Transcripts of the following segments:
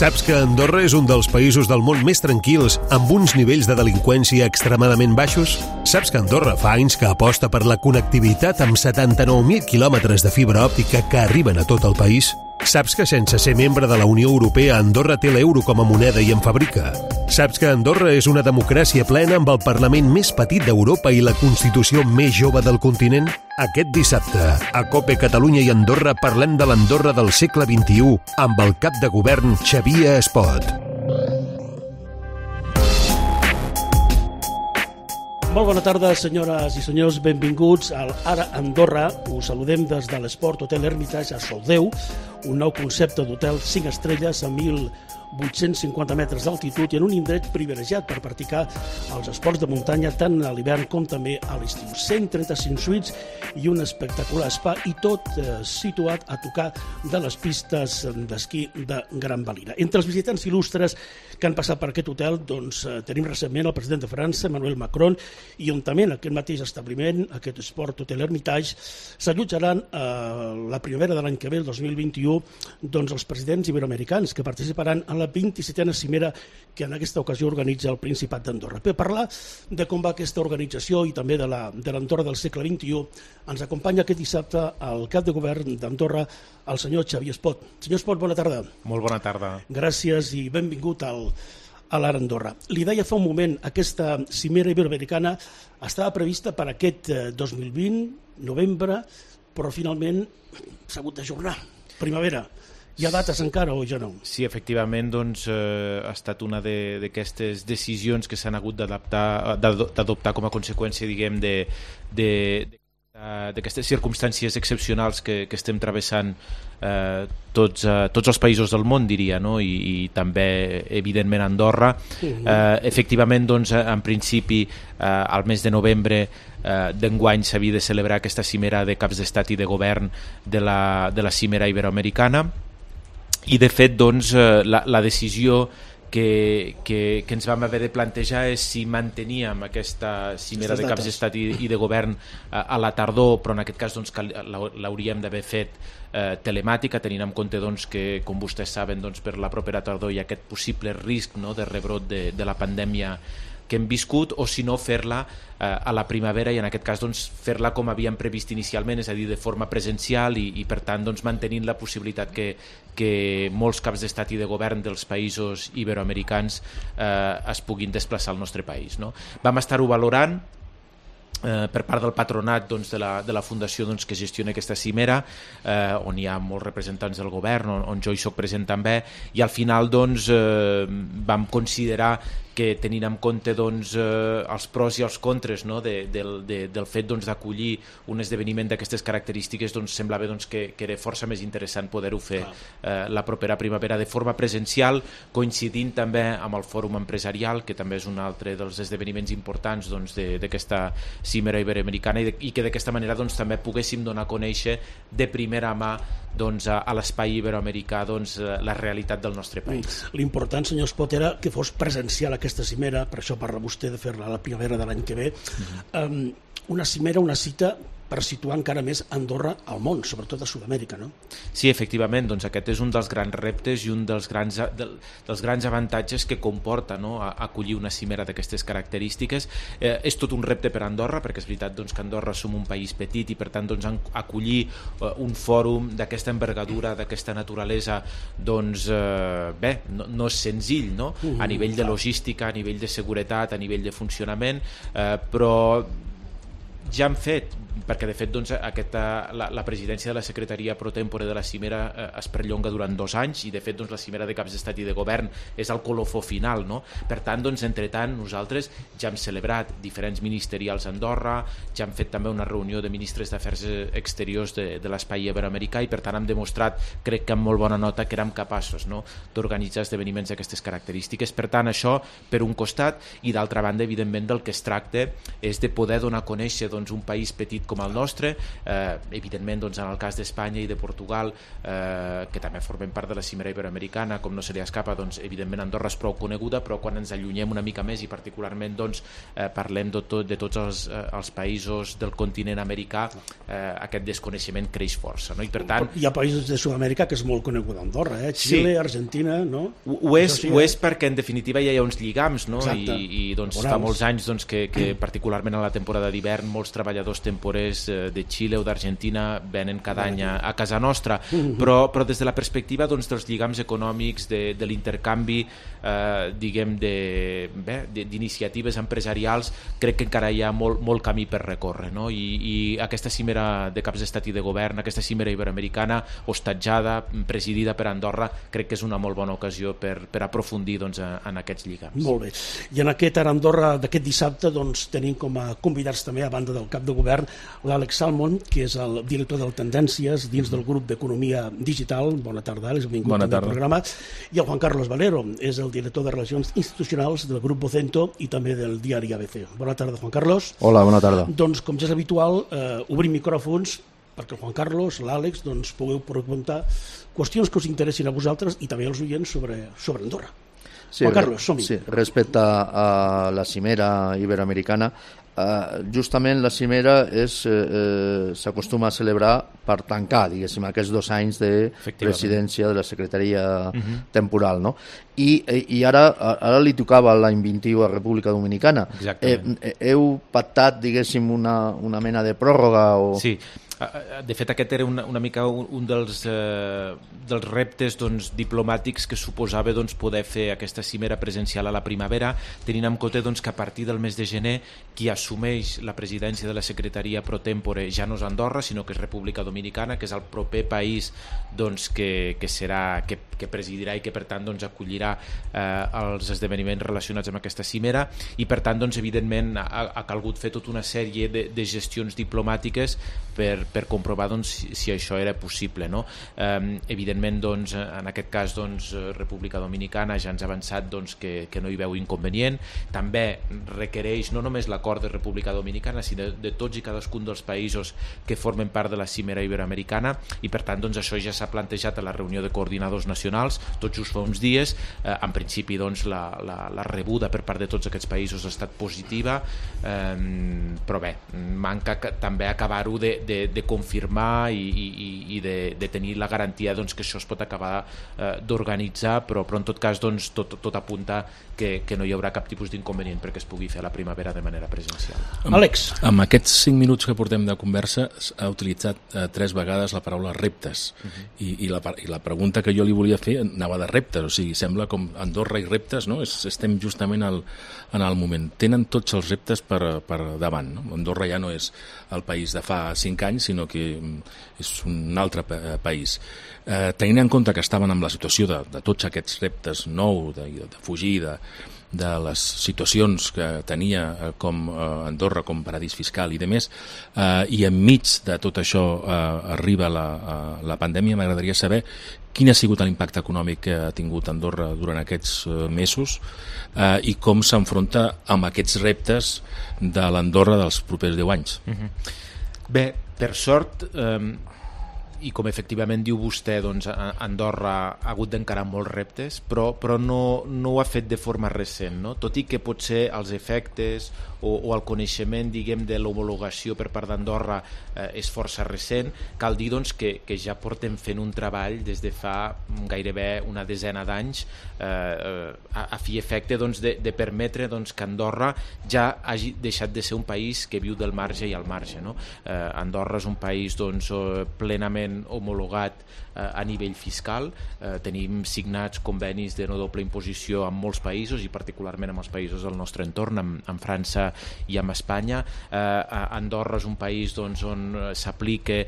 Saps que Andorra és un dels països del món més tranquils, amb uns nivells de delinqüència extremadament baixos? Saps que Andorra fa anys que aposta per la connectivitat amb 79.000 quilòmetres de fibra òptica que arriben a tot el país? Saps que sense ser membre de la Unió Europea, Andorra té l'euro com a moneda i en fabrica? Saps que Andorra és una democràcia plena amb el Parlament més petit d'Europa i la Constitució més jove del continent? Aquest dissabte, a COPE Catalunya i Andorra parlem de l'Andorra del segle XXI amb el cap de govern Xavier Espot. Molt bona tarda, senyores i senyors. Benvinguts al Ara Andorra. Us saludem des de l'Esport Hotel Hermitage a Soldeu, un nou concepte d'hotel 5 estrelles a 1.850 metres d'altitud i en un indret privilegiat per practicar els esports de muntanya tant a l'hivern com també a l'estiu. 135 suites i un espectacular spa i tot situat a tocar de les pistes d'esquí de Gran Valira. Entre els visitants il·lustres que han passat per aquest hotel tenim recentment el president de França, Emmanuel Macron, i on també en aquest mateix establiment, aquest Sport Hotel Hermitage, s'allotjaran la primavera de l'any que ve, el 2021, els presidents iberoamericans que participaran en la 27a cimera que en aquesta ocasió organitza el Principat d'Andorra. Per parlar de com va aquesta organització i també de l'Andorra del segle XXI, ens acompanya aquest dissabte el cap de govern d'Andorra, el senyor Xavier Espot. Senyor Espot, bona tarda. Molt bona tarda. Gràcies i benvingut a l'Ara Andorra. Li deia fa un moment, aquesta cimera iberoamericana estava prevista per aquest 2020, novembre, però finalment s'ha hagut d'ajornar. Primavera. Hi ha dates encara o ja no? Sí, efectivament, ha estat una d'aquestes decisions que s'han hagut d'adoptar com a conseqüència, diguem, d'aquestes circumstàncies excepcionals que estem travessant tots els països del món, diria, no? I també, evidentment, Andorra. Efectivament, en principi, al mes de novembre d'enguany s'havia de celebrar aquesta cimera de caps d'estat i de govern de la cimera iberoamericana. I de fet la decisió que ens vam haver de plantejar és si manteníem aquesta cimera de caps d'estat i de govern a la tardor, però en aquest cas l'hauríem d'haver fet telemàtica, tenint en compte que, com vostès saben, per la propera tardor hi ha aquest possible risc de rebrot de la pandèmia que hem viscut, o si no fer-la a la primavera i en aquest cas fer-la com havíem previst inicialment, és a dir, de forma presencial i per tant mantenint la possibilitat que molts caps d'estat i de govern dels països iberoamericans es puguin desplaçar al nostre país, no? Vam estar-ho valorant per part del patronat de la fundació que gestiona aquesta cimera, on hi ha molts representants del govern, on jo hi soc present també, i al final vam considerar que tenint en compte els pros i els contres del fet d'acollir un esdeveniment d'aquestes característiques, semblava que era força més interessant poder-ho fer la propera primavera de forma presencial, coincidint també amb el fòrum empresarial, que també és un altre dels esdeveniments importants d'aquesta cimera iberoamericana, i que d'aquesta manera també poguéssim donar a conèixer de primera mà a l'espai iberoamericà la realitat del nostre país. L'important, senyor Espot, era que fos presencial aquesta cimera, per això parla vostè de fer-la a la primavera de l'any que ve. Una cimera, una cita per situar encara més Andorra al món, sobretot a Sud-amèrica, no? Sí, efectivament, aquest és un dels grans reptes i un dels grans avantatges que comporta acollir una cimera d'aquestes característiques. És tot un repte per Andorra, perquè és veritat que Andorra som un país petit i per tant acollir un fòrum d'aquesta envergadura, d'aquesta naturalesa, no és senzill, no? A nivell de logística, a nivell de seguretat, a nivell de funcionament, però ja han fet, perquè de fet la presidència de la secretaria pro tempore de la cimera es perllonga durant 2 anys i de fet la cimera de caps d'estat i de govern és el colofó final, no? Per tant, entretant, nosaltres ja hem celebrat diferents ministerials a Andorra, ja hem fet també una reunió de ministres d'afers exteriors de l'espai iberoamericà i per tant hem demostrat, crec que amb molt bona nota, que érem capaços d'organitzar esdeveniments d'aquestes característiques. Per tant, això per un costat, i d'altra banda, evidentment, del que es tracta és de poder donar a conèixer un país petit petit com el nostre. Evidentment, doncs, en el cas d'Espanya i de Portugal, que també formen part de la cimera iberoamericana, com no se li escapa, doncs, evidentment Andorra és prou coneguda, però quan ens allunyem una mica més i particularment doncs, parlem de tots els països del continent americà, aquest desconeixement creix força, no? I per tant... Hi ha països de Sud-amèrica que és molt coneguda Andorra, Xile, Argentina, no? Ho és perquè en definitiva ja hi ha uns lligams, no? I doncs, fa molts anys doncs, que particularment a la temporada d'hivern molts treballadors temporers de Xile o d'Argentina venen cada any a casa nostra, però des de la perspectiva doncs, dels lligams econòmics, de l'intercanvi, diguem, d'iniciatives empresarials, crec que encara hi ha molt camí per recórrer, no? I aquesta cimera de caps d'estat i de govern, aquesta cimera iberoamericana hostatjada, presidida per Andorra, crec que és una molt bona ocasió per aprofundir doncs, en aquests lligams. Molt bé. I en aquest Ara Andorra d'aquest dissabte doncs, tenim com a convidats també, a banda del cap de govern, l'Àlex Salmon, que és el director de Tendències dins del grup d'Economia Digital. Bona tarda, Àlex, benvingut al programa. I el Juan Carlos Valero, és el director de Relacions Institucionals del grup Vocento i també del diari ABC. Bona tarda, Juan Carlos. Hola, bona tarda. Doncs, com ja és habitual, obrim micròfons perquè el Juan Carlos, l'Àlex, doncs, pugueu preguntar qüestions que us interessin a vosaltres i també als oients sobre Andorra. Sí, Juan Carlos, som-hi. Sí, respecte a la cimera iberoamericana, justament la cimera s'acostuma a celebrar per tancar, diguéssim, aquests 2 anys de presidència de la secretaria temporal, no? I ara li tocava l'any 21 a República Dominicana. Heu pactat, diguéssim, una mena de pròrroga o... Sí. De fet, aquest era una mica un dels reptes doncs, diplomàtics que suposava doncs, poder fer aquesta cimera presencial a la primavera, tenint en compte doncs, que a partir del mes de gener qui assumeix la presidència de la secretaria pro tempore ja no és Andorra, sinó que és República Dominicana, que és el proper país doncs, que presidirà i que per tant doncs, acollirà els esdeveniments relacionats amb aquesta cimera, i per tant doncs, evidentment ha calgut fer tota una sèrie de gestions diplomàtiques per comprovar doncs, si això era possible, no? Evidentment doncs, en aquest cas doncs, República Dominicana ja ens ha avançat doncs, que no hi veu inconvenient. També requereix no només l'acord de República Dominicana, sinó de tots i cadascun dels països que formen part de la cimera iberoamericana, i per tant doncs, això ja s'ha plantejat a la reunió de coordinadors nacionals tot just fa uns dies. En principi doncs, la rebuda per part de tots aquests països ha estat positiva, però bé, manca també acabar-ho de confirmar i de tenir la garantia doncs, que això es pot acabar d'organitzar, però en tot cas doncs, tot apunta que no hi haurà cap tipus d'inconvenient perquè es pugui fer a la primavera de manera presencial. Àlex. Amb aquests 5 minuts que portem de conversa ha utilitzat 3 vegades la paraula reptes, i la pregunta que jo li volia fer anava de reptes, o sigui, sembla com Andorra i reptes, no? Estem justament en el moment. Tenen tots els reptes per davant, no? Andorra ja no és el país de fa 5 anys, sinó que és un altre país. Tenint en compte que estaven en la situació de tots aquests reptes nous, de fugir de les situacions que tenia com Andorra com paradís fiscal i demés, i enmig de tot això arriba la pandèmia, m'agradaria saber quin ha sigut l'impacte econòmic que ha tingut Andorra durant aquests mesos i com s'enfronta amb aquests reptes de l'Andorra dels propers 10 anys. Bé, per sort, i com efectivament diu vostè, doncs, Andorra ha hagut d'encarar molts reptes, però no ho ha fet de forma recent, no? Tot i que potser els efectes o el coneixement, diguem, de l'homologació per part d'Andorra és força recent, cal dir doncs, que ja portem fent un treball des de fa gairebé una desena d'anys a fi efecte doncs, de permetre doncs, que Andorra ja hagi deixat de ser un país que viu del marge i al marge, no? Andorra és un país doncs, plenament homologat a nivell fiscal, tenim signats convenis de no doble imposició amb molts països i particularment amb els països del nostre entorn, amb França i amb Espanya. Andorra és un país doncs, on s'aplica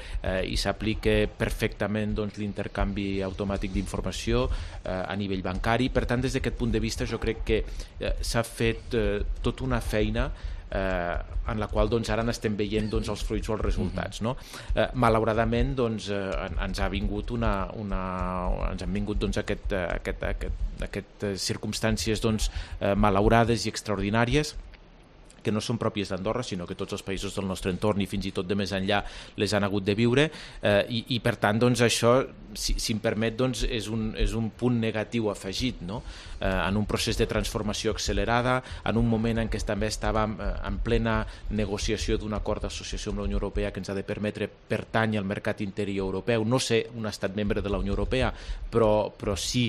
i s'aplica perfectament doncs, l'intercanvi automàtic d'informació a nivell bancari. Per tant, des d'aquest punt de vista jo crec que s'ha fet tota una feina en la qual doncs, ara n'estem veient doncs, els fruits o els resultats, no? Malauradament doncs, ens ha vingut ens han vingut doncs, aquestes circumstàncies doncs, malaurades i extraordinàries, que no són pròpies d'Andorra, sinó que tots els països del nostre entorn i fins i tot de més enllà les han hagut de viure, i per tant doncs, això, si em permet, doncs, és un punt negatiu afegit, no? En un procés de transformació accelerada, en un moment en què també estàvem en plena negociació d'un acord d'associació amb la Unió Europea que ens ha de permetre pertànyer al mercat interior europeu, no ser un estat membre de la Unió Europea, però sí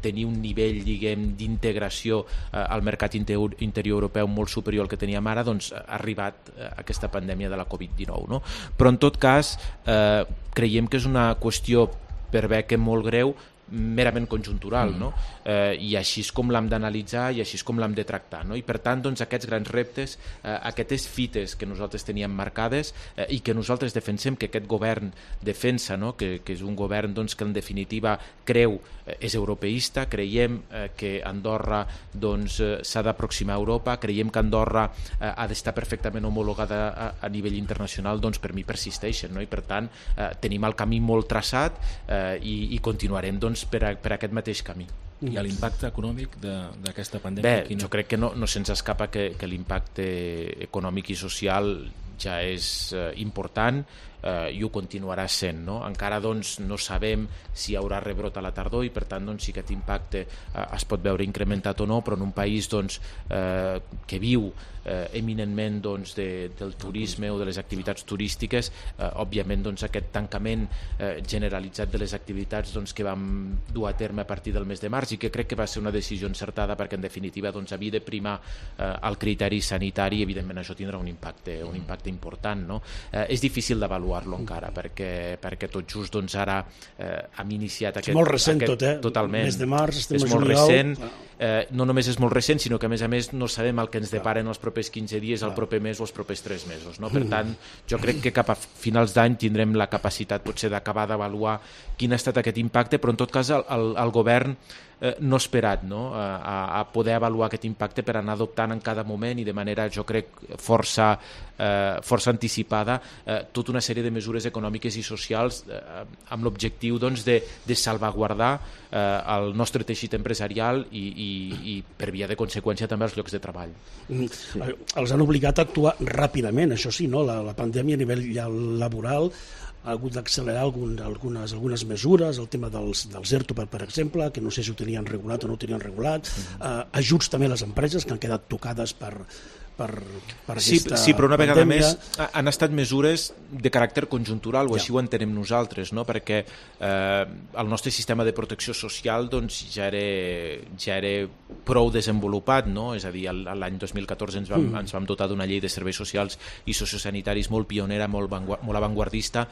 tenir un nivell, diguem, d'integració al mercat interior europeu molt superior al que teníem ara, doncs ha arribat aquesta pandèmia de la Covid-19, no? Però en tot cas creiem que és una qüestió, per bé que molt greu, merament conjuntural, no? I així és com l'hem d'analitzar i així és com l'hem de tractar, no? I per tant, doncs, aquests grans reptes, aquestes fites que nosaltres teníem marcades i que nosaltres defensem, que aquest govern defensa, no? Que és un govern, doncs, que en definitiva creu, és europeista, creiem que Andorra, doncs, s'ha d'aproximar a Europa, creiem que Andorra ha d'estar perfectament homologada a nivell internacional, doncs per mi persisteixen, no? I per tant tenim el camí molt traçat i continuarem, doncs, per aquest mateix camí. I l'impacte econòmic d'aquesta pandèmia? Bé, jo crec que no se'ns escapa que l'impacte econòmic i social ja és important i ho continuarà sent, no? Encara, doncs, no sabem si hi haurà rebrot a la tardor i per tant, doncs, si aquest impacte es pot veure incrementat o no, però en un país, doncs, que viu eminentment, doncs, del turisme o de les activitats turístiques, òbviament, doncs, aquest tancament generalitzat de les activitats, doncs, que vam dur a terme a partir del mes de març i que crec que va ser una decisió encertada perquè en definitiva, doncs, havia de primar el criteri sanitari i evidentment això tindrà un impacte important, no? És difícil d'avaluar-lo encara perquè tot just, doncs, ara hem iniciat aquest... És molt recent tot, totalment. Mes de març, estem a juliol. És molt recent, no només és molt recent, sinó que a més no sabem el que ens deparen els propers 15 dies, el proper mes o els propers 3 mesos, no? Per tant, jo crec que cap a finals d'any tindrem la capacitat potser d'acabar d'avaluar quin ha estat aquest impacte, però en tot cas el govern no esperat, no? A poder avaluar aquest impacte per anar adoptant en cada moment i de manera, jo crec, força anticipada tota una sèrie de mesures econòmiques i socials amb l'objectiu, doncs, de salvaguardar el nostre teixit empresarial i per via de conseqüència també els llocs de treball. Els han obligat a actuar ràpidament, això sí, no? La pandèmia a nivell laboral ha hagut d'accelerar algunes mesures, el tema dels ERTO, per exemple, que no sé si ho tenien regulat o no ho tenien regulat, ajuts també a les empreses que han quedat tocades per aquesta sí, però una vegada pandèmia. Més han estat mesures de caràcter conjuntural, o així ho entenem nosaltres, no? Perquè el nostre sistema de protecció social, doncs, ja era prou desenvolupat, no? És a dir, l'any 2014 ens vam dotar d'una llei de serveis socials i sociosanitaris molt pionera, molt avantguardista,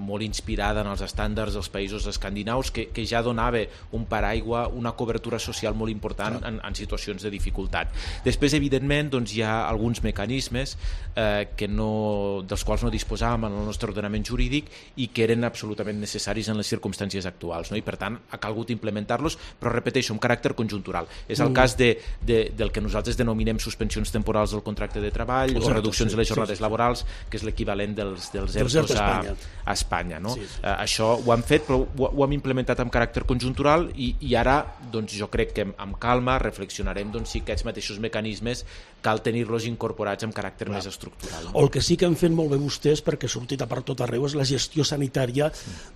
molt inspirada en els estàndards dels països escandinaus, que ja donava un paraigua, una cobertura social molt important en situacions de dificultat. Després, evidentment, doncs, hi ha alguns mecanismes dels quals no disposàvem en el nostre ordenament jurídic i que eren absolutament necessaris en les circumstàncies actuals, no? I per tant ha calgut implementar-los, però repeteixo, amb caràcter conjuntural. És el cas del que nosaltres denominem suspensions temporals del contracte de treball o reduccions de les jornades laborals, que és l'equivalent dels ERTOs a Espanya, no? Sí. Això ho hem fet, però ho hem implementat amb caràcter conjuntural i ara, doncs, jo crec que amb calma reflexionarem, doncs, si aquests mateixos mecanismes cal tenir-los incorporats amb caràcter més estructural. O el que sí que han fet molt bé vostès, perquè ha sortit a per tot arreu, és la gestió sanitària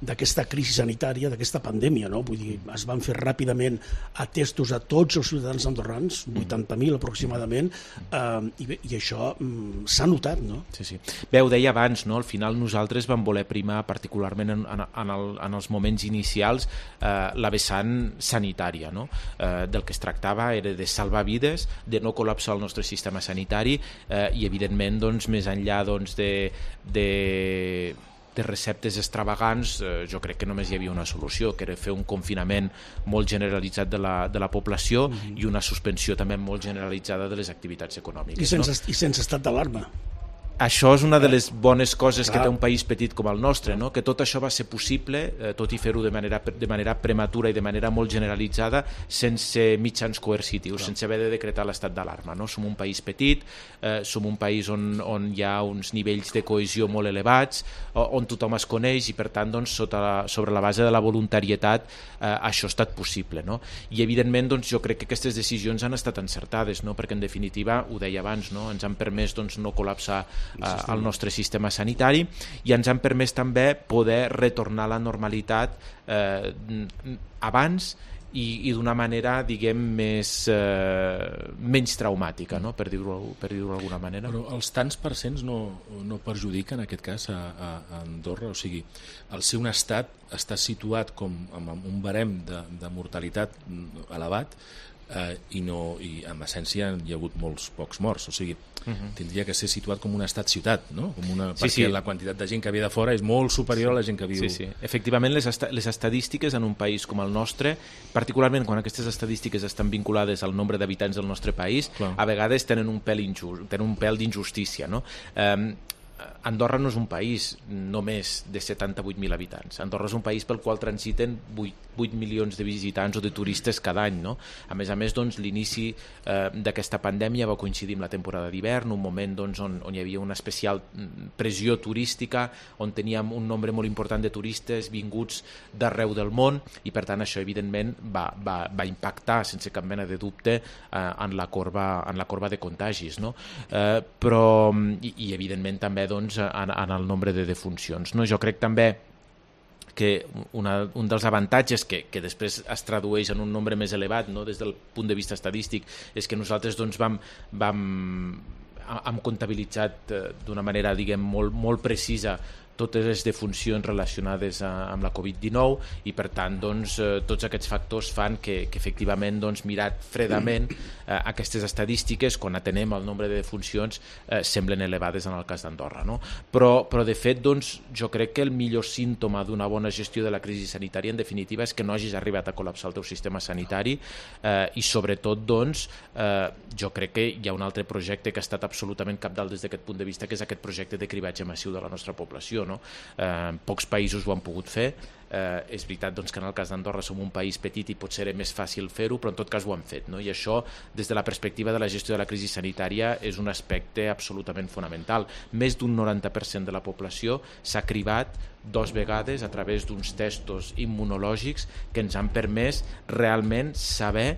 d'aquesta crisi sanitària, d'aquesta pandèmia, no? Vull dir, es van fer ràpidament atestos a tots els ciutadans andorrans, 80.000 aproximadament, i això s'ha notat, no? Sí. Bé, ho deia abans, no? Al final nosaltres vam voler primar, particularment en els moments inicials, la vessant sanitària, no? Del que es tractava era de salvar vides, de no col·lapsar el nostre sistema sanitari i, evidentment, doncs, més enllà, doncs, de receptes extravagants, jo crec que només hi havia una solució, que era fer un confinament molt generalitzat de la població i una suspensió també molt generalitzada de les activitats econòmiques. I sense estat d'alarma. això és una de les bones coses que té un país petit com el nostre, no? Que tot això va ser possible, tot i fer-ho de manera prematura i de manera molt generalitzada, sense mitjans coercitius, sense haver de decretar l'estat d'alarma, no? Som un país petit, som un país on hi ha uns nivells de cohesió molt elevats, on tothom es coneix i per tant sobre la base de la voluntarietat això ha estat possible, no? I evidentment jo crec que aquestes decisions han estat encertades, no? Perquè en definitiva, ho deia abans, no? Ens han permès no col·lapsar el nostre sistema sanitari i ens han permès també poder retornar a la normalitat abans i d'una manera, diguem, menys traumàtica, no? Per dir-ho d'alguna manera. Però els tants percents no perjudiquen, en aquest cas, a Andorra? O sigui, al ser un estat està situat com amb un barem de mortalitat elevat i en essència hi ha hagut molts pocs morts, o sigui, tindria que ser situat com un estat-ciutat, no? Perquè la quantitat de gent que ve de fora és molt superior a la gent que viu. Sí. Efectivament, les estadístiques en un país com el nostre, particularment quan aquestes estadístiques estan vinculades al nombre d'habitants del nostre país, a vegades tenen un pèl d'injustícia, no? Andorra no és un país només de 78.000 habitants. Andorra és un país pel qual transiten 8 milions de visitants o de turistes cada any, no? A més, l'inici d'aquesta pandèmia va coincidir amb la temporada d'hivern, un moment on hi havia una especial pressió turística, on teníem un nombre molt important de turistes vinguts d'arreu del món i per tant això evidentment va impactar sense cap mena de dubte en la corba de contagis, no? Però i evidentment també en el nombre de defuncions, no? Jo crec també que un dels avantatges que després es tradueix en un nombre més elevat, no? Des del punt de vista estadístic, és que nosaltres hem comptabilitzat d'una manera, diguem, molt precisa totes les defuncions relacionades amb la Covid-19 i per tant tots aquests factors fan que efectivament mirat fredament aquestes estadístiques quan atenem el nombre de defuncions semblen elevades en el cas d'Andorra, no? Però de fet jo crec que el millor símptoma d'una bona gestió de la crisi sanitària en definitiva és que no hagis arribat a col·lapsar el teu sistema sanitari i sobretot jo crec que hi ha un altre projecte que ha estat absolutament cabdal des d'aquest punt de vista, que és aquest projecte de cribatge massiu de la nostra població, no? Pocs països ho han pogut fer. És veritat que en el cas d'Andorra som un país petit i potser era més fàcil fer-ho, però en tot cas ho han fet, no? I això des de la perspectiva de la gestió de la crisi sanitària és un aspecte absolutament fonamental. Més d'un 90% de la població s'ha cribat 2 vegades a través d'uns testos immunològics que ens han permès realment saber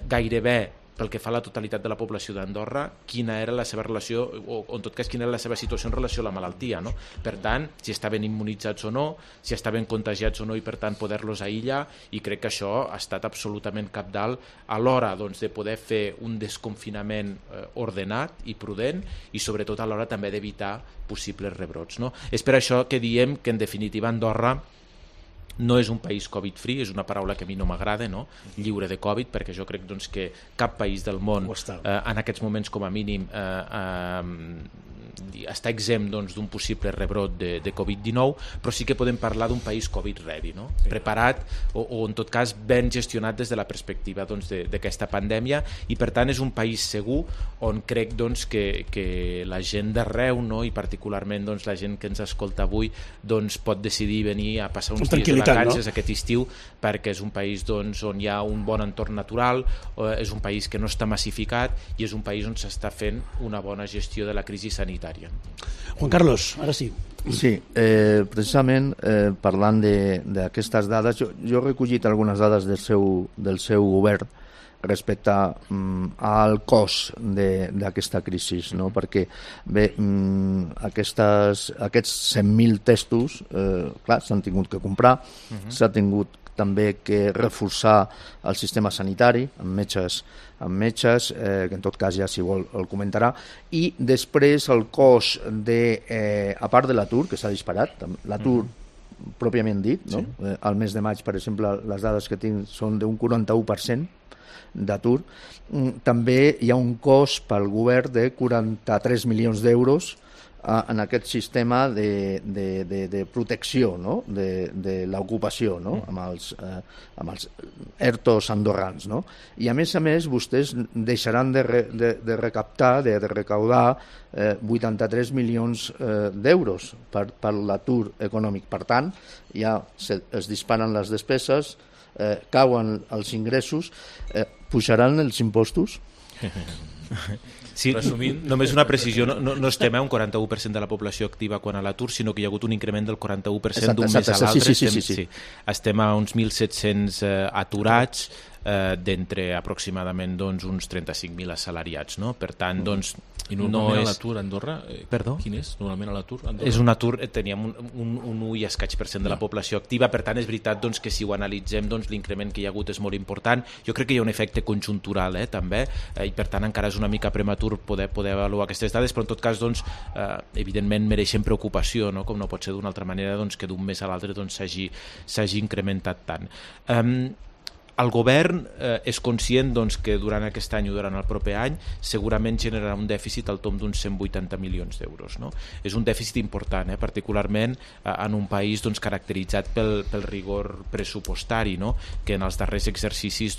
gairebé pel que fa a la totalitat de la població d'Andorra, quina era la seva relació, o en tot cas quina era la seva situació en relació a la malaltia, no? Per tant, si estaven immunitzats o no, si estaven contagiats o no i per tant poder-los aïllar, i crec que això ha estat absolutament cabdal a l'hora de poder fer un desconfinament ordenat i prudent i sobretot a l'hora també d'evitar possibles rebrots, no? És per això que diem que en definitiva Andorra no és un país Covid-free, és una paraula que a mi no m'agrada, no? Lliure de Covid, perquè jo crec que cap país del món en aquests moments com a mínim està exempt d'un possible rebrot de Covid-19, però sí que podem parlar d'un país Covid-ready, no? Preparat o en tot cas ben gestionat des de la perspectiva d'aquesta pandèmia i per tant és un país segur on crec que la gent d'arreu, no? I particularment la gent que ens escolta avui pot decidir venir a passar uns dies de vacances aquest estiu perquè és un país on hi ha un bon entorn natural, és un país que no està massificat i és un país on s'està fent una bona gestió de la crisi sanitària. Juan Carlos, ara sí. Sí, precisament parlant d'aquestes dades, jo he recollit algunes dades del seu govern respecte al cost d'aquesta crisi, no? Perquè bé, aquests 100.000 testos clar, s'han tingut que comprar, s'ha tingut també que reforçar el sistema sanitari amb metges, que en tot cas ja si vol el comentarà, i després el cost a part de l'atur, que s'ha disparat, l'atur pròpiament dit, no? Sí. Al mes de maig, per exemple, les dades que tinc són d'un 41% d'atur. També hi ha un cost pel govern de 43 milions d'euros en aquest sistema de protecció, no? de l'ocupació, no? amb els ERTOs andorrans. No? I a més, vostès deixaran de recaptar, de recaudar 83 milions d'euros per l'atur econòmic. Per tant, ja es disparen les despeses, cauen els ingressos, pujaran els impostos? Sí, només una precisió, no estem a un 41% de la població activa quan a l'atur, sinó que hi ha hagut un increment del 41% d'un mes a l'altre. Sí. Estem a uns 1.700 aturats d'entre aproximadament uns 35.000 assalariats, no? Per tant, doncs, i normalment l'atur a Andorra, Perdó? Quin és normalment l'atur a Andorra? És un atur, teníem un 1 i escaig % de la població activa, per tant és veritat doncs, que si ho analitzem l'increment que hi ha hagut és molt important. Jo crec que hi ha un efecte conjuntural també, i per tant encara és una mica prematur poder avaluar aquestes dades, però en tot cas doncs, evidentment mereixen preocupació, no? Com no pot ser d'una altra manera que d'un mes a l'altre s'hagi incrementat tant. El govern és conscient que durant aquest any o durant el proper any segurament generarà un dèficit al tomb d'uns 180 milions d'euros. No? És un dèficit important, particularment en un país caracteritzat pel rigor pressupostari, no? Que en els darrers exercicis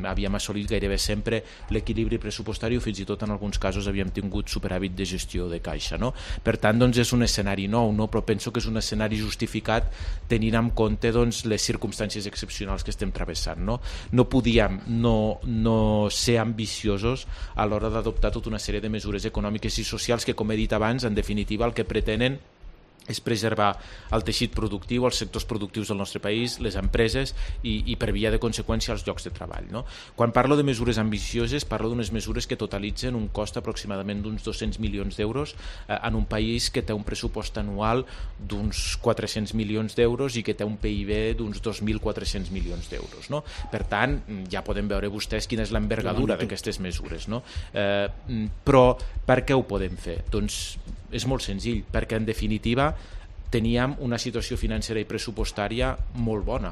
havíem assolit gairebé sempre l'equilibri pressupostari o fins i tot en alguns casos havíem tingut superàvit de gestió de caixa. No? Per tant, és un escenari nou, no? Però penso que és un escenari justificat tenint en compte les circumstàncies excepcionals que estem travessant. No podíem no ser ambiciosos a l'hora d'adoptar tota una sèrie de mesures econòmiques i socials que, com he dit abans, en definitiva el que pretenen és preservar el teixit productiu, els sectors productius del nostre país, les empreses i per via de conseqüència els llocs de treball. No? Quan parlo de mesures ambicioses, parlo d'unes mesures que totalitzen un cost aproximadament d'uns 200 milions d'euros en un país que té un pressupost anual d'uns 400 milions d'euros i que té un PIB d'uns 2.400 milions d'euros. No? Per tant, ja podem veure vostès quina és l'envergadura d'aquestes mesures. No? Però per què ho podem fer? Doncs és molt senzill, perquè en definitiva teníem una situació financera i pressupostària molt bona,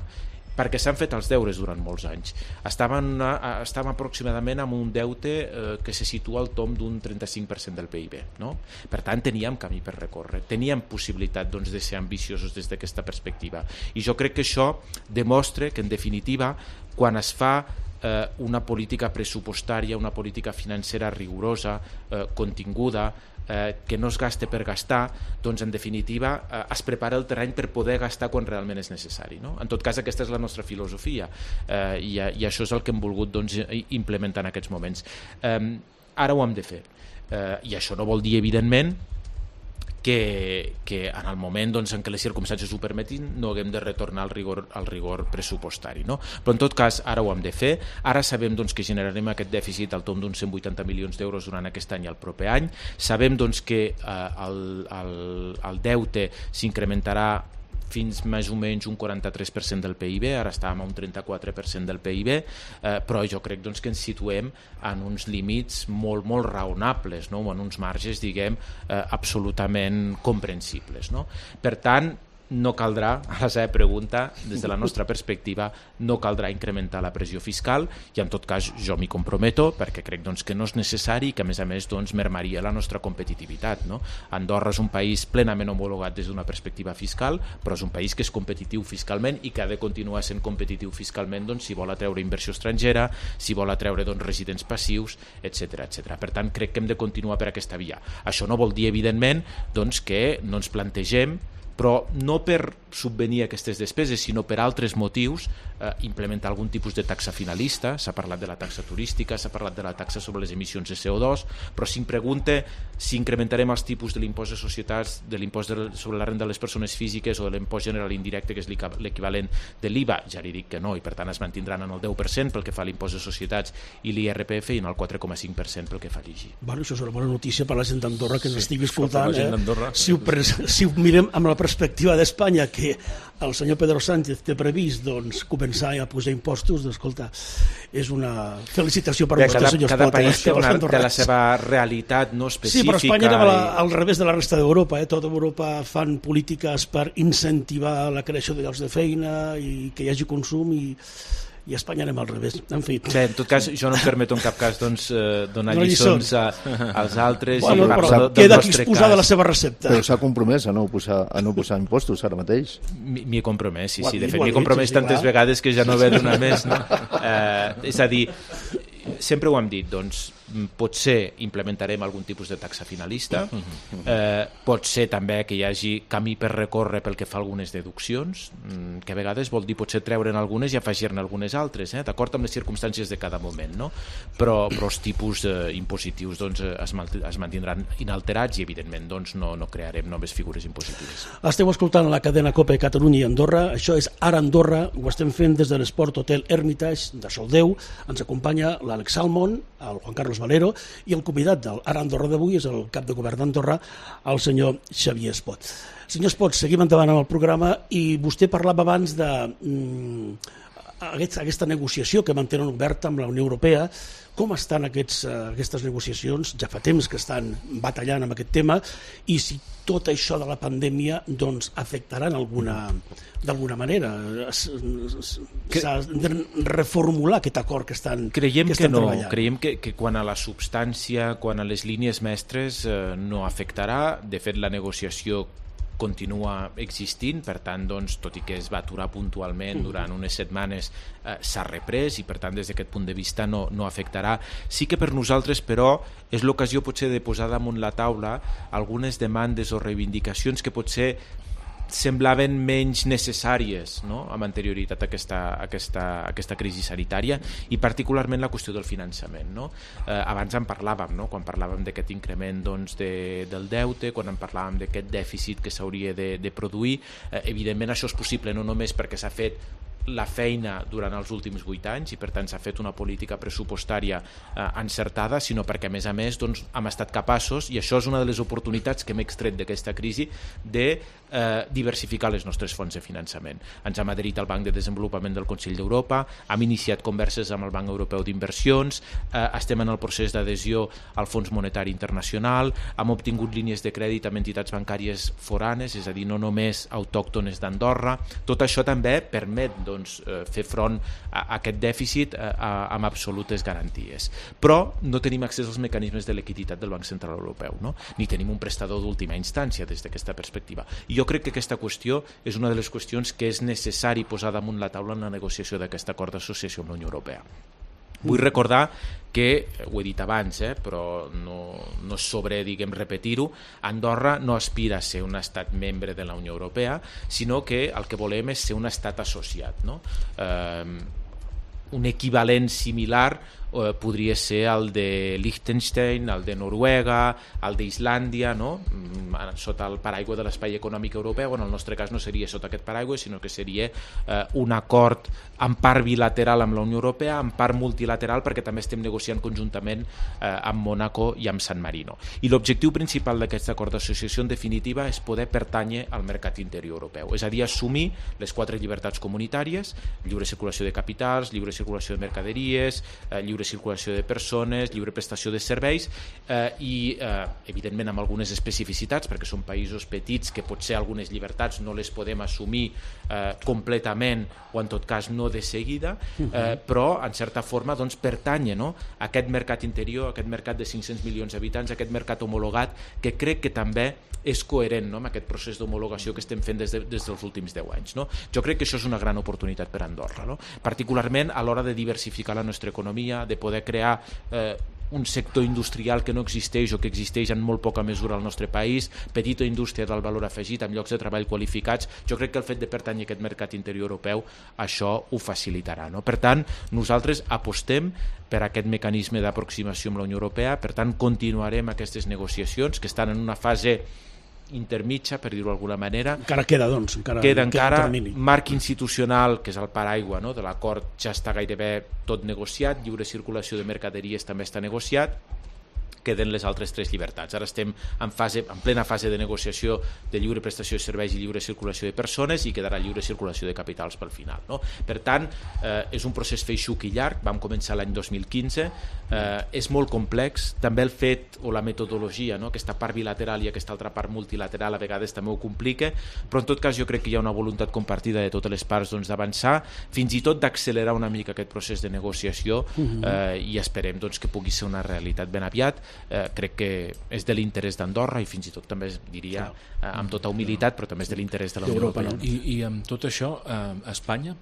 perquè s'han fet els deures durant molts anys. Estàvem aproximadament amb un deute que se situa al tomb d'un 35% del PIB. No? Per tant, teníem camí per recórrer, teníem possibilitat de ser ambiciosos des d'aquesta perspectiva. I jo crec que això demostra que, en definitiva, quan es fa una política pressupostària, una política financera rigorosa, continguda, que no es gaste per gastar, doncs en definitiva es prepara el terreny per poder gastar quan realment és necessari. No? En tot cas, aquesta és la nostra filosofia i això és el que hem volgut implementar en aquests moments. Ara ho hem de fer i això no vol dir, evidentment, que en el moment en què les circumstàncies ho permetin no haguem de retornar al rigor pressupostari. No? Però en tot cas ara ho hem de fer, ara sabem que generarem aquest dèficit al tomb d'uns 180 milions d'euros durant aquest any i el proper any, sabem que el deute s'incrementarà fins més o menys un 43% del PIB, ara estàvem a un 34% del PIB, però jo crec que ens situem en uns límits molt, molt raonables, no? En uns marges, absolutament comprensibles. No? Per tant, no caldrà, a la seva pregunta, des de la nostra perspectiva, no caldrà incrementar la pressió fiscal i en tot cas jo m'hi comprometo perquè crec que no és necessari i que a més mermaria la nostra competitivitat. No? Andorra és un país plenament homologat des d'una perspectiva fiscal, però és un país que és competitiu fiscalment i que ha de continuar sent competitiu fiscalment si vol atreure inversió estrangera, si vol atreure residents passius, etc. Per tant, crec que hem de continuar per aquesta via. Això no vol dir, evidentment, que no ens plantegem, però no per subvenir aquestes despeses, sinó per altres motius, implementar algun tipus de taxa finalista. S'ha parlat de la taxa turística, s'ha parlat de la taxa sobre les emissions de CO2, però si em pregunta si incrementarem els tipus de l'impost de societats, de l'impost sobre la renda de les persones físiques o de l'impost general indirecte, que és l'equivalent de l'IVA, ja li dic que no, i per tant es mantindran en el 10% pel que fa a l'impost de societats i l'IRPF i en el 4,5% pel que fa a l'IGI. Bueno, això és una bona notícia per la gent d'Andorra que ens estigui escoltant. Si ho mirem amb la perspectiva d'Espanya, que el senyor Pedro Sánchez té previst començar a posar impostos, escolta, és una felicitació per vostès, senyors cada país té la seva realitat no específica. Sí, però Espanya era al revés de la resta d'Europa. Tota Europa fan polítiques per incentivar la creació de llocs de feina i que hi hagi consum i i a Espanya anem al revés. En fi. Bé, en tot cas, jo no em permeto en cap cas donar lliçons als altres. Bueno, però queda aquí exposada la seva recepta. Però s'ha compromès a no posar impostos ara mateix. M'hi he compromès, sí. De fet, m'hi he compromès tantes vegades que ja no ve donar més, no? És a dir, sempre ho hem dit, doncs potser implementarem algun tipus de taxa finalista, pot ser també que hi hagi camí per recórrer pel que fa a algunes deduccions, que a vegades vol dir potser treure'n algunes i afegir-ne algunes altres, d'acord amb les circumstàncies de cada moment, no? Però els tipus impositius doncs, es mantindran inalterats i evidentment doncs, no crearem noves figures impositives. Esteu escoltant la cadena COPE Catalunya i Andorra, això és Ara Andorra, ho estem fent des de l'Esport Hotel Hermitage de Soldeu, ens acompanya l'Àlex Salmon, el Juan Carlos Valero, i el convidat del Ara Andorra d'avui és el cap de govern d'Andorra, el senyor Xavier Espot. Senyor Espot, seguim endavant amb el programa i vostè parlava abans de aquesta negociació que mantenen oberta amb la Unió Europea. Com estan aquestes negociacions? Ja fa temps que estan batallant amb aquest tema i si tot això de la pandèmia doncs, afectarà d'alguna manera. S'ha de reformular aquest acord que estan treballant. Creiem que quan a la substància, quan a les línies mestres no afectarà. De fet, la negociació continua existint, per tant, doncs, tot i que es va aturar puntualment durant unes setmanes, s'ha reprès i, per tant, des d'aquest punt de vista no afectarà. Sí que per nosaltres, però, és l'ocasió potser de posar damunt la taula algunes demandes o reivindicacions que potser semblaven menys necessàries, no?, amb anterioritat a aquesta crisi sanitària i particularment la qüestió del finançament, no? Abans en parlàvem, no?, quan parlàvem d'aquest increment doncs, del deute, quan en parlàvem d'aquest dèficit que s'hauria de produir. Evidentment això és possible no només perquè s'ha fet la feina durant els últims 8 anys i per tant s'ha fet una política pressupostària encertada, sinó perquè a més doncs, hem estat capaços, i això és una de les oportunitats que hem extret d'aquesta crisi, de diversificar les nostres fonts de finançament. Ens hem adherit al Banc de Desenvolupament del Consell d'Europa, hem iniciat converses amb el Banc Europeu d'Inversions, estem en el procés d'adhesió al Fons Monetari Internacional, hem obtingut línies de crèdit amb entitats bancàries foranes, és a dir, no només autòctones d'Andorra. Tot això també permet fer front a aquest dèficit amb absolutes garanties. Però no tenim accés als mecanismes de liquiditat del Banc Central Europeu, no? Ni tenim un prestador d'última instància des d'aquesta perspectiva. I jo crec que aquesta qüestió és una de les qüestions que és necessari posar damunt la taula en la negociació d'aquest acord d'associació amb la Unió Europea. Vull recordar que, ho he dit abans, però no és sobre, repetir-ho, Andorra no aspira a ser un estat membre de la Unió Europea, sinó que el que volem és ser un estat associat, no? Un equivalent similar podria ser el de Liechtenstein, el de Noruega, el d'Islàndia, no? Sota el paraigua de l'espai econòmic europeu. En el nostre cas no seria sota aquest paraigua, sinó que seria un acord en part bilateral amb la Unió Europea, en part multilateral, perquè també estem negociant conjuntament amb Mònaco i amb San Marino. I l'objectiu principal d'aquest acord d'associació, en definitiva, és poder pertànyer al mercat interior europeu, és a dir, assumir les 4 llibertats comunitàries: lliure circulació de capitals, lliure circulació de mercaderies, lliure circulació de persones, lliure prestació de serveis i, evidentment, amb algunes especificitats, perquè són països petits que potser algunes llibertats no les podem assumir completament o, en tot cas, no de seguida, però, en certa forma, doncs, pertany, no?, a aquest mercat interior, a aquest mercat de 500 milions d'habitants, a aquest mercat homologat, que crec que també és coherent, no?, amb aquest procés d'homologació que estem fent des dels últims 10 anys. No? Jo crec que això és una gran oportunitat per Andorra, no? Particularment a l'hora de diversificar la nostra economia, de poder crear un sector industrial que no existeix o que existeix en molt poca mesura al nostre país, petita indústria del valor afegit amb llocs de treball qualificats. Jo crec que el fet de pertànyer a aquest mercat interior europeu això ho facilitarà, no? Per tant, nosaltres apostem per aquest mecanisme d'aproximació amb la Unió Europea, per tant continuarem aquestes negociacions que estan en una fase intermitja, per dir-ho d'alguna manera. Encara queda, doncs. Queda encara marc institucional, que és el paraigua, no?, de l'acord, ja està gairebé tot negociat, lliure circulació de mercaderies també està negociat, queden les altres 3 llibertats. Ara estem en plena fase de negociació de lliure prestació de serveis i lliure circulació de persones i quedarà lliure circulació de capitals pel final, no? Per tant, és un procés feixuc i llarg, vam començar l'any 2015, és molt complex, també el fet o la metodologia, no? Aquesta part bilateral i aquesta altra part multilateral a vegades també ho complica, però en tot cas jo crec que hi ha una voluntat compartida de totes les parts d'avançar, fins i tot d'accelerar una mica aquest procés de negociació i esperem que pugui ser una realitat ben aviat. Crec que és de l'interès d'Andorra i fins i tot també diria amb tota humilitat, però també és de l'interès de la Unió Europea. I amb tot això Espanya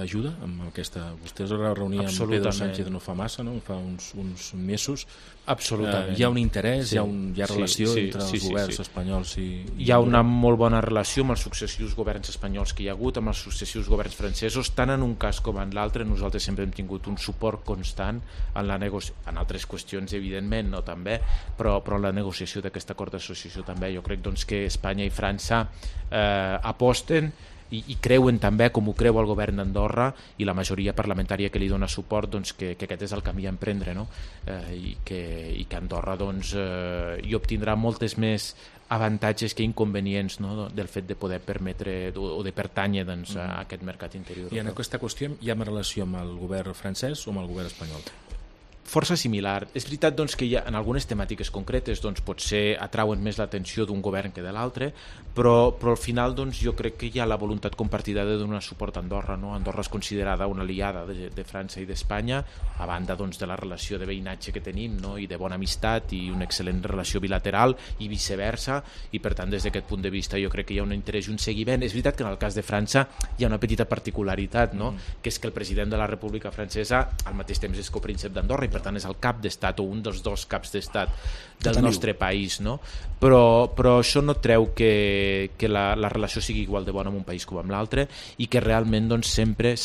ajuda amb aquesta... Vostès es reunien amb Pedro Sánchez no fa massa, no? Fa uns mesos. Absolutament. Hi ha un interès, hi ha relació entre els governs espanyols i... Hi ha una molt bona relació amb els successius governs espanyols que hi ha hagut, amb els successius governs francesos, tant en un cas com en l'altre. Nosaltres sempre hem tingut un suport constant en altres qüestions, evidentment, no també, però la negociació d'aquest acord d'associació també. Jo crec que Espanya i França aposten i creuen també, com ho creu el govern d'Andorra i la majoria parlamentària que li dona suport, que aquest és el camí a emprendre, no? I que Andorra hi obtindrà moltes més avantatges que inconvenients, no? Del fet de poder permetre o de pertànyer a aquest mercat interior. I en aquesta qüestió hi ha una relació amb el govern francès o amb el govern espanyol? Força similar. És veritat que hi ha, en algunes temàtiques concretes potser atrauen més l'atenció d'un govern que de l'altre, però al final jo crec que hi ha la voluntat compartida de donar suport a Andorra, no? Andorra és considerada una aliada de França i d'Espanya, a banda de la relació de veïnatge que tenim, no? I de bona amistat i una excel·lent relació bilateral i viceversa, i per tant des d'aquest punt de vista jo crec que hi ha un interès i un seguiment. És veritat que en el cas de França hi ha una petita particularitat, no? Que és que el president de la República Francesa al mateix temps és copríncep d'Andorra i per tant és el cap d'estat o un dels 2 caps d'estat del nostre país, no? Però això no treu que la relació sigui igual de bona amb un país com amb l'altre i que realment sempre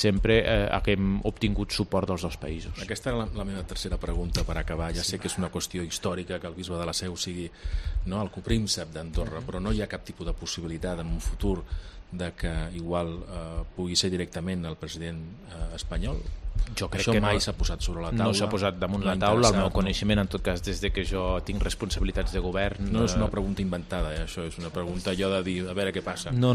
haguem obtingut suport dels 2 països. Aquesta era la meva tercera pregunta per acabar. Ja sé que és una qüestió històrica que el bisbe de la Seu sigui el copríncep d'Andorra, però no hi ha cap tipus de possibilitat en un futur de que igual pugui ser directament el president espanyol? Jo crec això que mai s'ha posat sobre la taula. No s'ha posat damunt la taula, el meu coneixement, en tot cas, des de que jo tinc responsabilitats de govern... No és una pregunta inventada, això és una pregunta allò de dir, a veure què passa. No.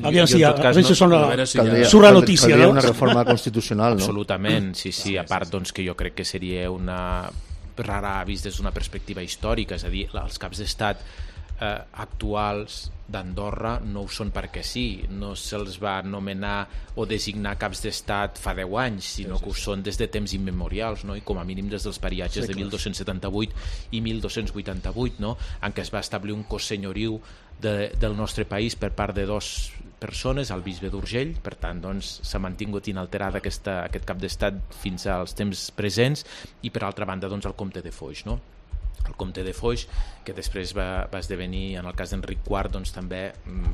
Aviam si a veces surt la notícia, no? Caldria una reforma constitucional, no? Absolutament, sí. A part, que jo crec que seria una rara vist des d'una perspectiva històrica, és a dir, els caps d'estat actuals d'Andorra no ho són perquè sí, no se'ls va nomenar o designar caps d'estat fa 10 anys, sinó que ho són des de temps immemorials, no? I com a mínim des dels pariatges de 1278 i 1288, no? En què es va establir un cos senyoriu del nostre país per part de 2 persones, el bisbe d'Urgell, per tant s'ha mantingut inalterada aquest cap d'estat fins als temps presents, i per altra banda el comte de Foix, no? El comte de Foix, que després va esdevenir, en el cas d'Enric IV, també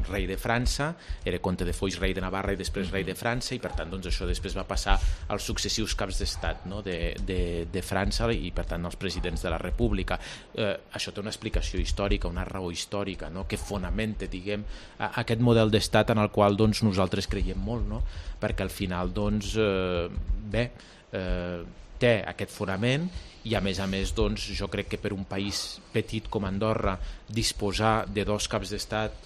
rei de França, era comte de Foix, rei de Navarra i després rei de França, i per tant això després va passar als successius caps d'estat, no? de França i per tant als presidents de la República. Això té una explicació històrica, una raó històrica, no? Que fonamenta, diguem, aquest model d'estat en el qual nosaltres creiem molt, no? Perquè al final té aquest fonament i a més jo crec que per un país petit com Andorra disposar de 2 caps d'estat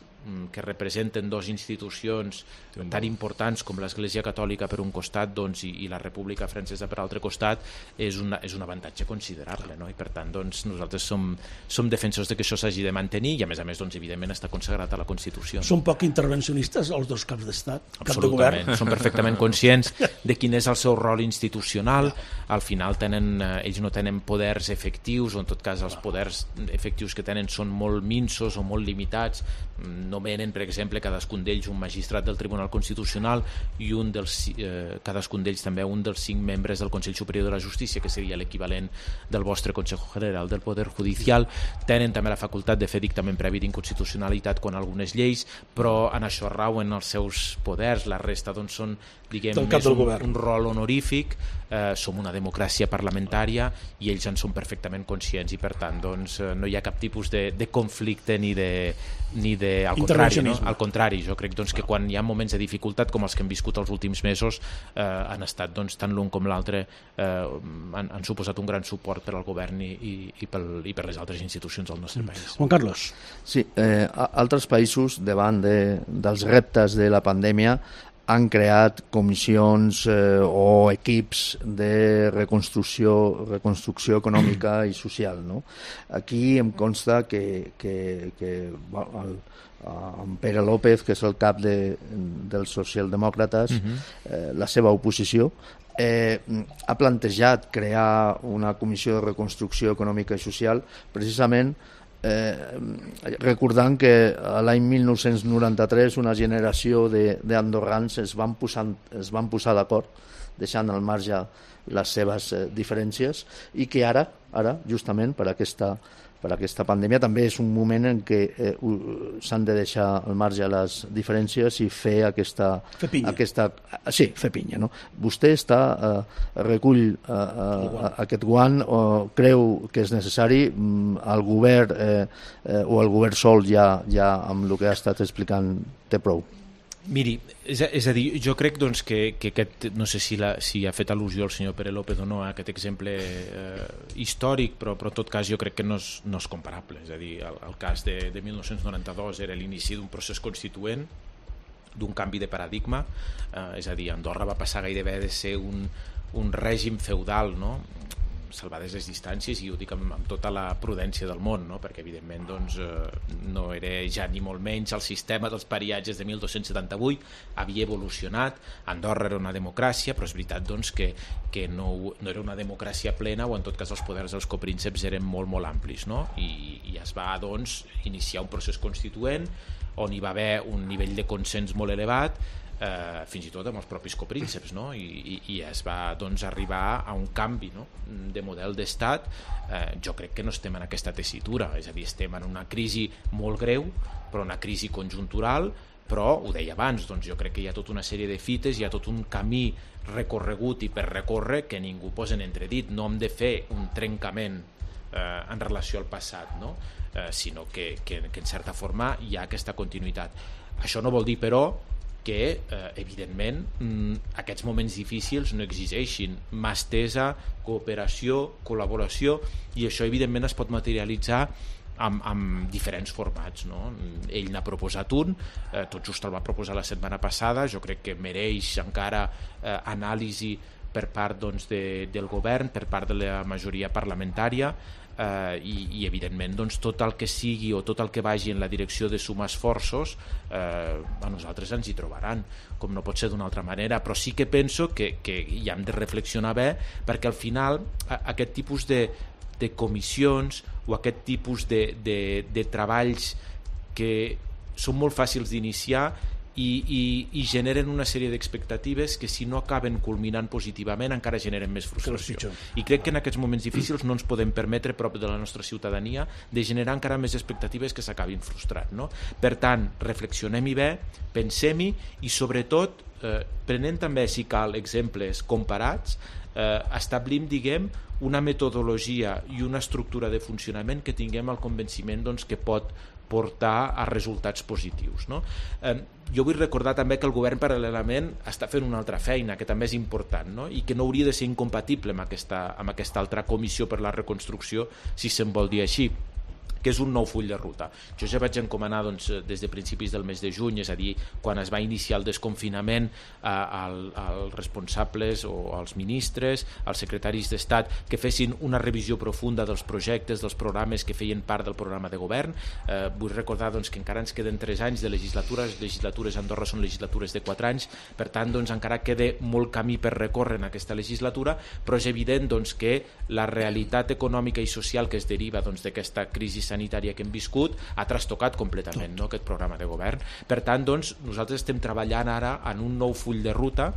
que representen 2 institucions tan importants com l'Església Catòlica per un costat i la República Francesa per l'altre costat és un avantatge considerable, no? I per tant nosaltres som defensors de que això s'hagi de mantenir i a més evidentment està consagrat a la Constitució. Són poc intervencionistes els 2 caps d'estat? Absolutament, són perfectament conscients de quin és el seu rol institucional. Al final ells no tenen poders efectius, o en tot cas els poders efectius que tenen són molt minsos o molt limitats. Nomenen, per exemple, cadascun d'ells un magistrat del Tribunal Constitucional i cadascun d'ells també un dels 5 membres del Consell Superior de la Justícia, que seria l'equivalent del vostre Consejo General del Poder Judicial. Tenen també la facultat de fer dictamen previ d'inconstitucionalitat quan algunes lleis, però en això rauen els seus poders. La resta són, diguem, més un rol honorífic. Som una una democràcia parlamentària i ells en són perfectament conscients i per tant doncs, no hi ha cap tipus de conflicte ni de al contrari, no? Al contrari, jo crec doncs, que quan hi ha moments de dificultat com els que hem viscut els últims mesos han estat doncs, tant l'un com l'altre han suposat un gran suport per al govern i per les altres institucions del nostre país. Juan Carlos. Sí, altres països davant dels reptes de la pandèmia han creat comissions o equips de reconstrucció econòmica i social, no? Aquí em consta que en Pere López, que és el cap dels socialdemòcrates, la seva oposició, ha plantejat crear una comissió de reconstrucció econòmica i social precisament recordant que l'any 1993 una generació d'andorrans es van posar d'acord deixant al marge les seves diferències i que ara justament per aquesta pandèmia també és un moment en què s'han de deixar al marge les diferències i fer Fer pinya, no? Vostè recull aquest guant o creu que és necessari el govern o el govern sol ja amb el que ha estat explicant té prou? Miri, és a dir, jo crec doncs, que aquest, no sé si ha fet al·lusió el senyor Pere López o no a aquest exemple històric, però en tot cas jo crec que no és comparable. És a dir, el cas de 1992 era l'inici d'un procés constituent, d'un canvi de paradigma, és a dir, Andorra va passar gairebé de ser un règim feudal, no?, salvades les distàncies, i ho dic amb tota la prudència del món, no? Perquè evidentment doncs, no era ja ni molt menys el sistema dels pariatges de 1278, havia evolucionat, Andorra era una democràcia, però és veritat doncs, que no era una democràcia plena, o en tot cas els poders dels coprínceps eren molt, molt amplis, no? I es va doncs, iniciar un procés constituent on hi va haver un nivell de consens molt elevat, fins i tot amb els propis coprínceps, no? I es va doncs, arribar a un canvi, no?, de model d'estat. Jo crec que no estem en aquesta tessitura, és a dir, estem en una crisi molt greu, però una crisi conjuntural, però ho deia abans, doncs jo crec que hi ha tota una sèrie de fites, hi ha tot un camí recorregut i per recórrer que ningú posa en entredit. No hem de fer un trencament en relació al passat, no? Sinó que en certa forma hi ha aquesta continuïtat. Això no vol dir, però, que evidentment aquests moments difícils no exigeixin mà estesa, cooperació, col·laboració, i això evidentment es pot materialitzar amb diferents formats, no? Ell n'ha proposat un, tot just el va proposar la setmana passada, jo crec que mereix encara anàlisi per part doncs, del govern, per part de la majoria parlamentària, i evidentment doncs, tot el que sigui o tot el que vagi en la direcció de sumar esforços a nosaltres ens hi trobaran, com no pot ser d'una altra manera, però sí que penso que hi hem de reflexionar bé, perquè al final aquest tipus de comissions o aquest tipus de treballs que són molt fàcils d'iniciar i generen una sèrie d'expectatives que si no acaben culminant positivament encara generen més frustració, i crec que en aquests moments difícils no ens podem permetre prop de la nostra ciutadania de generar encara més expectatives que s'acabin frustrant, no? Per tant, reflexionem-hi bé, pensem-hi i sobretot prenent també, si cal, exemples comparats, establim, diguem, una metodologia i una estructura de funcionament que tinguem el convenciment doncs, que pot portar a resultats positius, no? Jo vull recordar també que el govern paral·lelament està fent una altra feina que també és important, no? I que no hauria de ser incompatible amb aquesta altra comissió per la reconstrucció, si se'n vol dir així, que és un nou full de ruta. Jo ja vaig encomanar doncs, des de principis del mes de juny, és a dir, quan es va iniciar el desconfinament, als responsables o als ministres, als secretaris d'Estat, que fessin una revisió profunda dels projectes, dels programes que feien part del programa de govern. Vull recordar doncs, que encara ens queden 3 anys de legislatura, les legislatures a Andorra són legislatures de 4 anys, per tant doncs, encara queda molt camí per recórrer en aquesta legislatura, però és evident doncs, que la realitat econòmica i social que es deriva doncs, d'aquesta crisi sanitària que hem viscut ha trastocat completament, no?, aquest programa de govern. Per tant, doncs, nosaltres estem treballant ara en un nou full de ruta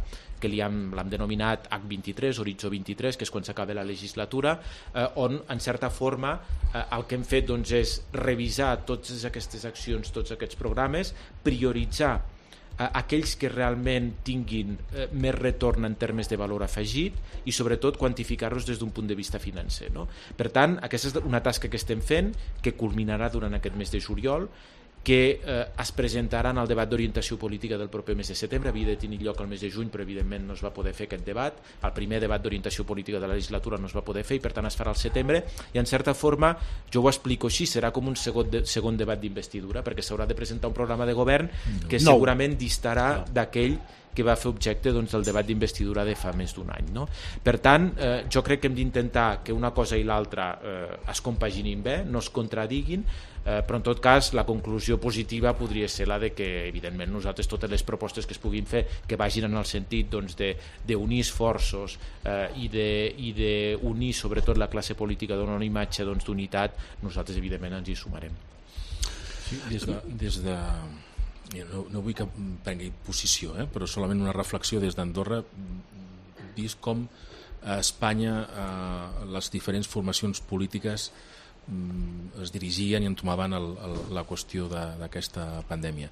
que l'hem denominat H23, Horitzó 23, que és quan s'acaba la legislatura, on, en certa forma, el que hem fet doncs, és revisar totes aquestes accions, tots aquests programes, prioritzar aquells que realment tinguin més retorn en termes de valor afegit i sobretot quantificar-los des d'un punt de vista financer, no? Per tant, aquesta és una tasca que estem fent, que culminarà durant aquest mes de juliol, que es presentarà en el debat d'orientació política del proper mes de setembre. Havia de tenir lloc el mes de juny, però evidentment no es va poder fer aquest debat. El primer debat d'orientació política de la legislatura no es va poder fer i per tant es farà al setembre, i en certa forma, jo ho explico així, serà com un segon debat d'investidura, perquè s'haurà de presentar un programa de govern que segurament distarà d'aquell que va fer objecte del debat d'investidura de fa més d'un any, no? Per tant, jo crec que hem d'intentar que una cosa i l'altra es compaginin bé, no es contradiguin, però en tot cas la conclusió positiva podria ser la de que evidentment nosaltres totes les propostes que es puguin fer que vagin en el sentit d'unir esforços i d'unir sobretot la classe política, donar una imatge d'unitat, nosaltres evidentment ens hi sumarem. Sí, des de no vull que prengui posició, però solament una reflexió des d'Andorra, vist com a Espanya les diferents formacions polítiques es dirigien i entomaven la qüestió d'aquesta pandèmia.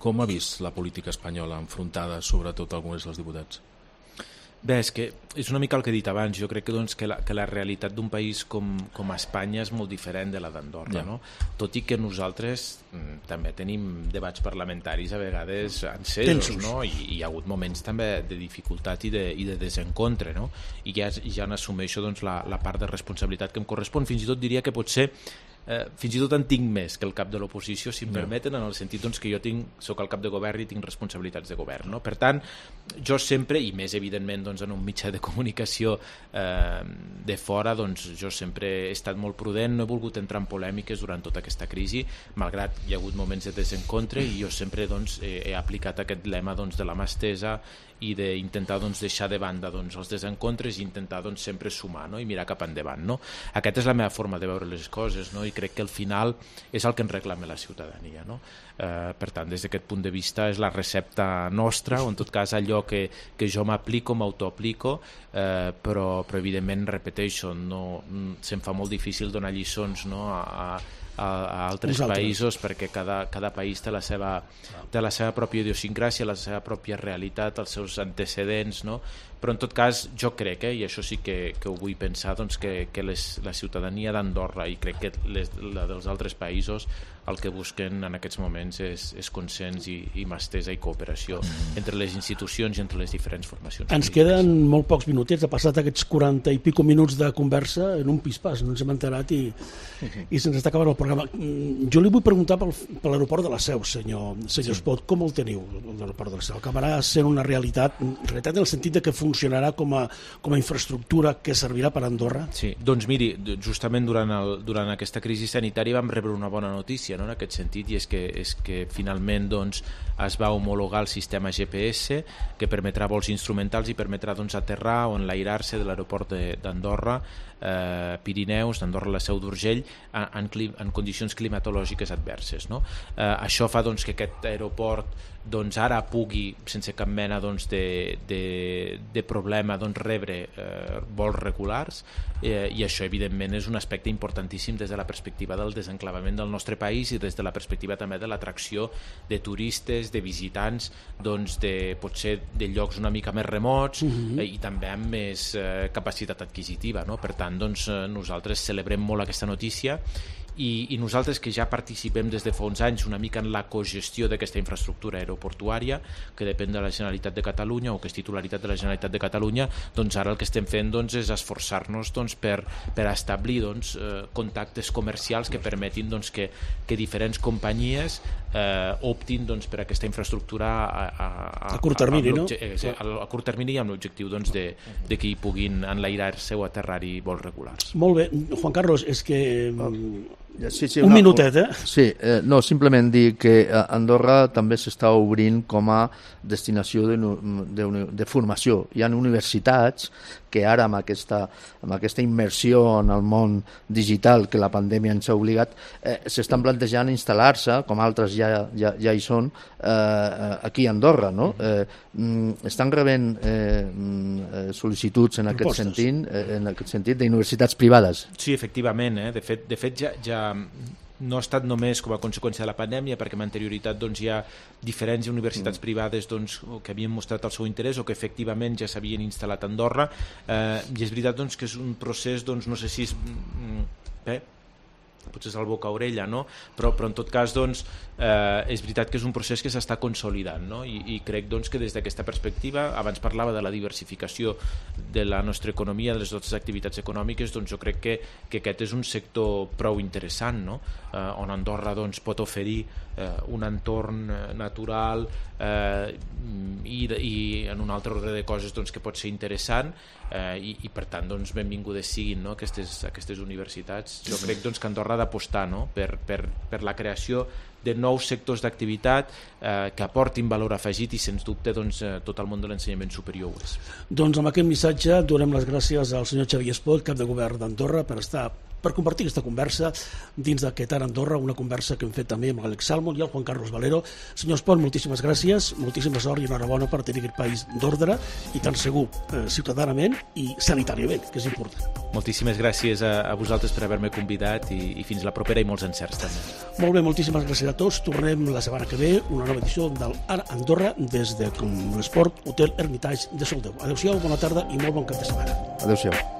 Com ha vist la política espanyola enfrontada sobretot a alguns dels diputats? Bé, és que és una mica el que he dit abans. Jo crec que la realitat d'un país com Espanya és molt diferent de la d'Andorra, no? Tot i que nosaltres també tenim debats parlamentaris a vegades encesos, no? I hi ha hagut moments també de dificultat i de desencontre, no? I ja n'assumeixo la part de responsabilitat que em correspon. Fins i tot diria que potser fins i tot en tinc més que el cap de l'oposició, si em permeten, en el sentit que jo soc el cap de govern i tinc responsabilitats de govern, no? Per tant, jo sempre, i més evidentment en un mitjà de comunicació de fora, jo sempre he estat molt prudent, no he volgut entrar en polèmiques durant tota aquesta crisi, malgrat hi ha hagut moments de desencontre, i jo sempre he aplicat aquest lema de la mà estesa i d'intentar deixar de banda els desencontres i intentar sempre sumar, no? I mirar cap endavant, no? Aquesta és la meva forma de veure les coses, no? I crec que al final és el que ens reclama la ciutadania, no? Per tant, des d'aquest punt de vista és la recepta nostra, o en tot cas allò que jo m'aplico, m'autoaplico, però evidentment, repeteixo, se'm fa molt difícil donar lliçons, no? a altres països, perquè cada país té la seva pròpia idiosincràsia, la seva pròpia realitat, els seus antecedents, no? Però en tot cas jo crec, i això sí que ho vull pensar, que la ciutadania d'Andorra, i crec que la dels altres països, el que busquen en aquests moments és consens i mà estesa i cooperació entre les institucions i entre les diferents formacions. Ens queden molt pocs minutets, ha passat aquests 40 i pico minuts de conversa en un pispàs, no ens hem enterat i se'ns està acabant el programa. Jo li vull preguntar per l'aeroport de la Seu, senyor Espot, com el teniu, l'aeroport de la Seu? Acabarà sent una realitat en el sentit que funcionarà com a infraestructura que servirà per a Andorra? Sí, doncs miri, justament durant aquesta crisi sanitària vam rebre una bona notícia, no? En aquest sentit, i és que finalment es va homologar el sistema GPS que permetrà vols instrumentals i permetrà aterrar o enlairar-se de l'aeroport d'Andorra, Pirineus, d'Andorra a la Seu d'Urgell, en condicions climatològiques adverses, no? Això fa que aquest aeroport ara pugui, sense cap mena de problema, rebre vols regulars, i això evidentment és un aspecte importantíssim des de la perspectiva del desenclavament del nostre país i des de la perspectiva també de l'atracció de turistes, de visitants, potser de llocs una mica més remots i també amb més capacitat adquisitiva, no? Per tant, nosaltres celebrem molt aquesta notícia i nosaltres que ja participem des de fa uns anys una mica en la cogestió d'aquesta infraestructura aeroportuària que depèn de la Generalitat de Catalunya o que és titularitat de la Generalitat de Catalunya, ara el que estem fent és esforçar-nos per establir contactes comercials que permetin que diferents companyies optin per aquesta infraestructura a curt termini, no? A curt termini, amb l'objectiu de que hi puguin enlairar-se o aterrar-hi vols regulars. Molt bé, Juan Carlos, és que un minutet, Sí, no, simplement dir que Andorra també s'està obrint com a destinació de formació. Hi ha universitats que ara amb aquesta immersió en el món digital que la pandèmia ens ha obligat, s'estan plantejant instal·lar-se, com altres ja hi són, aquí a Andorra, no? Estan rebent sol·licituds en aquest sentit d'universitats privades. Sí, efectivament. De fet, ja no ha estat només com a conseqüència de la pandèmia, perquè amb anterioritat doncs, hi ha diferents universitats privades doncs, que havien mostrat el seu interès o que efectivament ja s'havien instal·lat a Andorra, i és veritat doncs, que és un procés, doncs, no sé si és... potser és el boca-orella, no? Però en tot cas doncs, és veritat que és un procés que s'està consolidant, no? I crec doncs, que des d'aquesta perspectiva, abans parlava de la diversificació de la nostra economia, de les nostres activitats econòmiques, doncs jo crec que aquest és un sector prou interessant, no? On Andorra doncs, pot oferir un entorn natural i en un altre ordre de coses doncs, que pot ser interessant, i per tant doncs, benvingudes siguin, no? aquestes universitats. Jo crec doncs, que Andorra ha d'apostar, no? per la creació de nous sectors d'activitat que aportin valor afegit i sens dubte doncs, tot el món de l'ensenyament superior ho és. Doncs amb aquest missatge donem les gràcies al senyor Xavier Espot, cap de govern d'Andorra, per compartir aquesta conversa dins d'aquest Ara Andorra, una conversa que hem fet també amb l'Àlex Salmon i el Juan Carlos Valero. Senyor Espot, moltíssimes gràcies, moltíssima sort i enhorabona per tenir aquest país d'ordre i tan segur ciutadanament i sanitàriament, que és important. Moltíssimes gràcies a vosaltres per haver-me convidat i fins la propera i molts encerts també. Molt bé, moltíssimes gràcies a tots. Tornem la setmana que ve, una nova edició del Ara Andorra des de l'Esport Hotel Hermitage de Soldeu. Adéu-siau, bona tarda i molt bon cap de setmana. Adéu-siau.